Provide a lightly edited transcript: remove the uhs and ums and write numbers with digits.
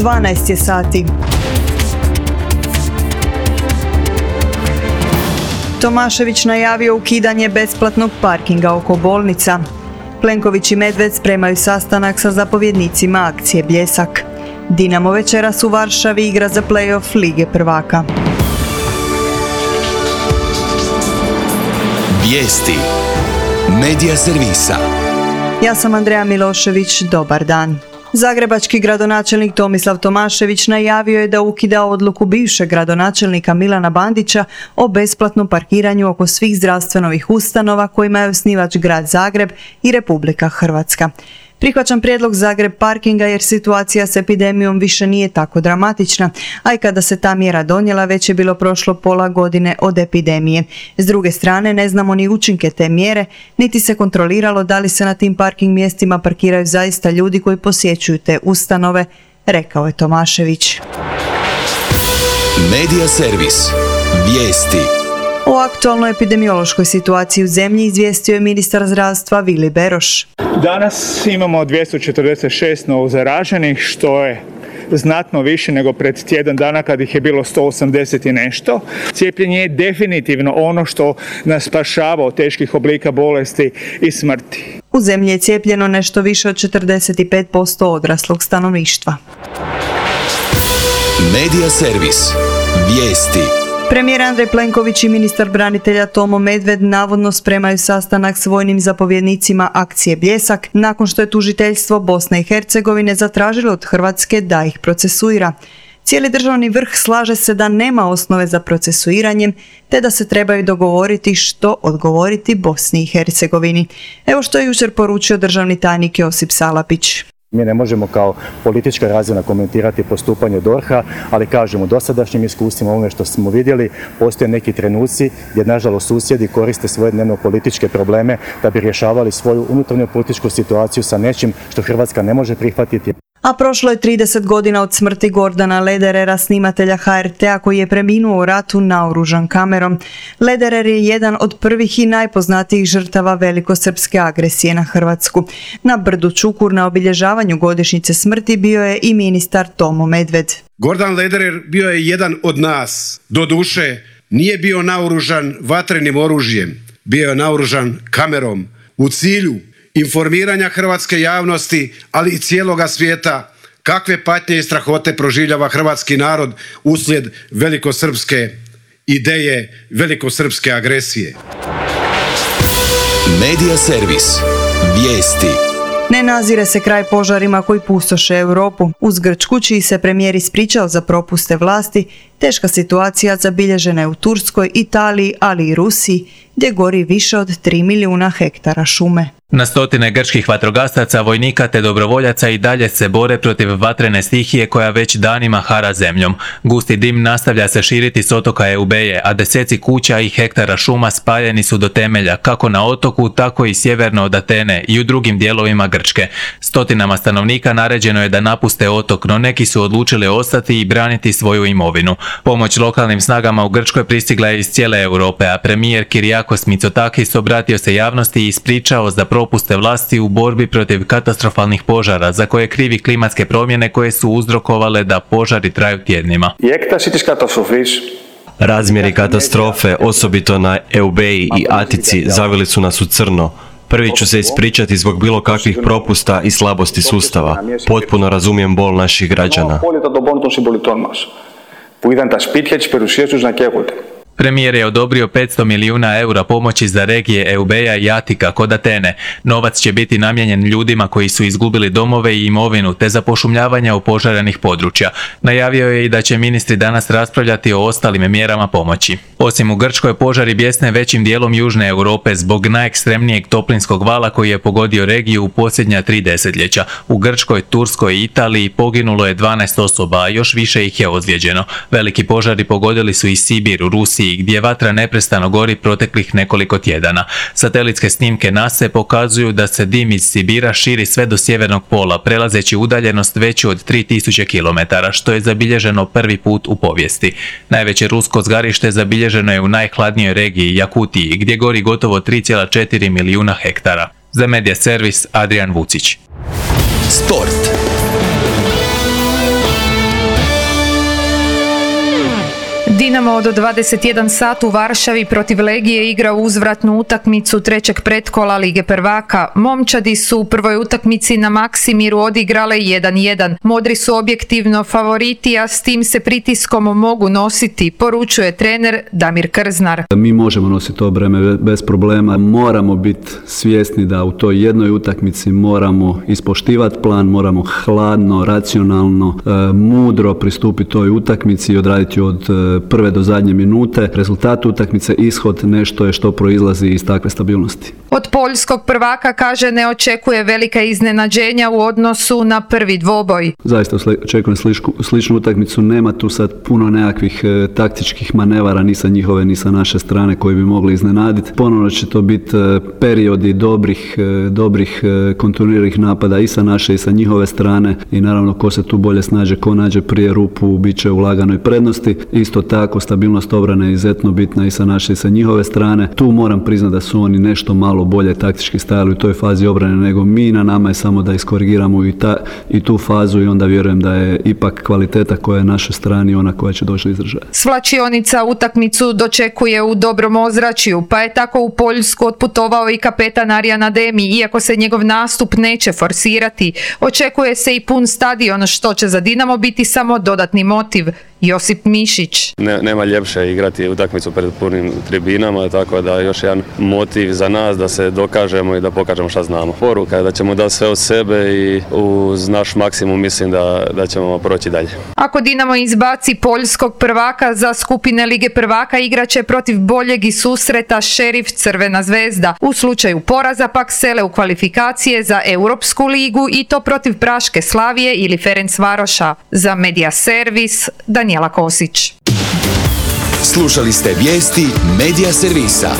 12 je sati. Tomašević najavio ukidanje besplatnog parkinga oko bolnica. Plenković i Medved spremaju sastanak sa zapovjednicima akcije Bljesak. Dinamo večeras u Varšavi igra za play-off Lige prvaka. Vijesti Medija servisa. Ja sam Andreja Milošević, dobar dan. Zagrebački gradonačelnik Tomislav Tomašević najavio je da ukida odluku bivšeg gradonačelnika Milana Bandića o besplatnom parkiranju oko svih zdravstvenih ustanova kojima je osnivač grad Zagreb i Republika Hrvatska. Prihvaćam prijedlog Zagreb parkinga jer situacija s epidemijom više nije tako dramatična, a i kada se ta mjera donijela već je bilo prošlo pola godine od epidemije. S druge strane ne znamo ni učinke te mjere, niti se kontroliralo da li se na tim parking mjestima parkiraju zaista ljudi koji posjećuju te ustanove, rekao je Tomašević. Medija servis. Vijesti. O aktualnoj epidemiološkoj situaciji u zemlji izvijestio je ministar zdravstva Vili Beroš. Danas imamo 246 novozaraženih, što je znatno više nego pred tjedan dana kad ih je bilo 180 i nešto. Cijepljenje je definitivno ono što nas spašava od teških oblika bolesti i smrti. U zemlji je cijepljeno nešto više od 45% odraslog stanovništva. Medija servis. Vijesti. Premijer Andrej Plenković i ministar branitelja Tomo Medved navodno spremaju sastanak s vojnim zapovjednicima akcije Bljesak nakon što je tužiteljstvo Bosne i Hercegovine zatražilo od Hrvatske da ih procesuira. Cijeli državni vrh slaže se da nema osnove za procesuiranjem te da se trebaju dogovoriti što odgovoriti Bosni i Hercegovini. Evo što je jučer poručio državni tajnik Josip Salapić. Mi ne možemo kao politička razina komentirati postupanje DORH-a, ali kažemo, dosadašnjim iskustvima, ovome što smo vidjeli, postoje neki trenuci gdje nažalost susjedi koriste svoje dnevno političke probleme da bi rješavali svoju unutarnju političku situaciju sa nečim što Hrvatska ne može prihvatiti. A prošlo je 30 godina od smrti Gordana Lederera, snimatelja HRT-a koji je preminuo u ratu naoružan kamerom. Lederer je jedan od prvih i najpoznatijih žrtava velikosrpske agresije na Hrvatsku. Na brdu Čukur na obilježavanju godišnjice smrti bio je i ministar Tomo Medved. Gordan Lederer bio je jedan od nas. Doduše, nije bio naoružan vatrenim oružjem, bio je naoružan kamerom u cilju informiranja hrvatske javnosti, ali i cijeloga svijeta, kakve patnje i strahote proživljava hrvatski narod uslijed velikosrpske ideje, velikosrpske agresije. Medija servis. Vijesti. Ne nazire se kraj požarima koji pustoše Europu. Uz Grčku, čiji se premijer ispričao za propuste vlasti, teška situacija zabilježena je u Turskoj, Italiji, ali i Rusiji, gdje gori više od 3 milijuna hektara šume. Na stotine grčkih vatrogasaca, vojnika te dobrovoljaca i dalje se bore protiv vatrene stihije koja već danima hara zemljom. Gusti dim nastavlja se širiti s otoka Eubeje, a deseci kuća i hektara šuma spaljeni su do temelja, kako na otoku, tako i sjeverno od Atene i u drugim dijelovima Grčke. Stotinama stanovnika naređeno je da napuste otok, no neki su odlučili ostati i braniti svoju imovinu. Pomoć lokalnim snagama u Grčkoj pristigla je iz cijele Europe, a premijer Kyriakos Mitsotakis obratio se javnosti i ispričao za propuste vlasti u borbi protiv katastrofalnih požara za koje krivi klimatske promjene koje su uzrokovale da požari traju tjednima. Razmjeri katastrofe, osobito na Eubeji i Atici, zavili su nas u crno. Prvi ću se ispričati zbog bilo kakvih propusta i slabosti sustava. Potpuno razumijem bol naših građana. Premijer je odobrio 500 milijuna eura pomoći za regije Eubeja i Atika kod Atene. Novac će biti namijenjen ljudima koji su izgubili domove i imovinu te za pošumljavanje opožarenih područja. Najavio je i da će ministri danas raspravljati o ostalim mjerama pomoći. Osim u Grčkoj, požari bjesne većim dijelom južne Europe zbog najekstremnijeg toplinskog vala koji je pogodio regiju u posljednja 3 desetljeća. U Grčkoj, Turskoj i Italiji poginulo je 12 osoba, a još više ih je ozlijeđeno. Veliki požari pogodili su i Sibir u Rusiji, gdje vatra neprestano gori proteklih nekoliko tjedana. Satelitske snimke NASA pokazuju da se dim iz Sibira širi sve do sjevernog pola, prelazeći udaljenost veću od 3000 km, što je zabilježeno prvi put u povijesti. Najveće rusko zgarište zabilježeno je u najhladnijoj regiji Jakutiji, gdje gori gotovo 3,4 milijuna hektara. Za Medija servis Adrian Vucić. Sport. Dinamo od 21 sat u Varšavi protiv Legije igra uzvratnu utakmicu trećeg pretkola Lige prvaka. Momčadi su u prvoj utakmici na Maksimiru odigrale 1-1. Modri su objektivno favoriti, a s tim se pritiskom mogu nositi, poručuje trener Damir Krznar. Mi možemo nositi to breme bez problema. Moramo biti svjesni da u toj jednoj utakmici moramo ispoštivati plan, moramo hladno, racionalno, mudro pristupiti toj utakmici i odraditi od prve do zadnje minute. Rezultat utakmice, ishod, nešto je što proizlazi iz takve stabilnosti. Od poljskog prvaka, kaže, ne očekuje velika iznenađenja u odnosu na prvi dvoboj. Zaista očekujem sličnu utakmicu, nema tu sad puno nekakvih taktičkih manevara ni sa njihove ni sa naše strane koji bi mogli iznenaditi. Ponovno će to biti periodi dobrih kontinuiranih napada i sa naše i sa njihove strane i naravno ko se tu bolje snađe, ko nađe prije rupu, bit će u laganoj prednosti. Isto tako stabilnost obrane je izuzetno bitna i sa naše i sa njihove strane. Tu moram priznati da su oni nešto malo bolje taktički stajali u toj fazi obrane nego mi. Na nama je samo da iskorigiramo i tu fazu i onda vjerujem da je ipak kvaliteta koja je na našoj strani ona koja će doći do izražaja. Svlačionica utakmicu dočekuje u dobrom ozračju, pa je tako u Poljsku otputovao i kapetan Arjan Ademi, iako se njegov nastup neće forsirati. Očekuje se i pun stadion, što će za Dinamo biti samo dodatni motiv. Josip Mišić. Nema ljepše igrati utakmicu pred punim tribinama, tako da još jedan motiv za nas da se dokažemo i da pokažemo šta znamo. Poruka je da ćemo dati sve od sebe i uz naš maksimum mislim da ćemo proći dalje. Ako Dinamo izbaci poljskog prvaka za skupine Lige prvaka, igraće protiv boljeg i susreta Šerif Crvena zvezda. U slučaju poraza pak sele u kvalifikacije za Europsku ligu i to protiv Praške Slavije ili Ferencvaroša. Za Media Servis, Danijela Kosić. Slušali ste vijesti Media Servisa.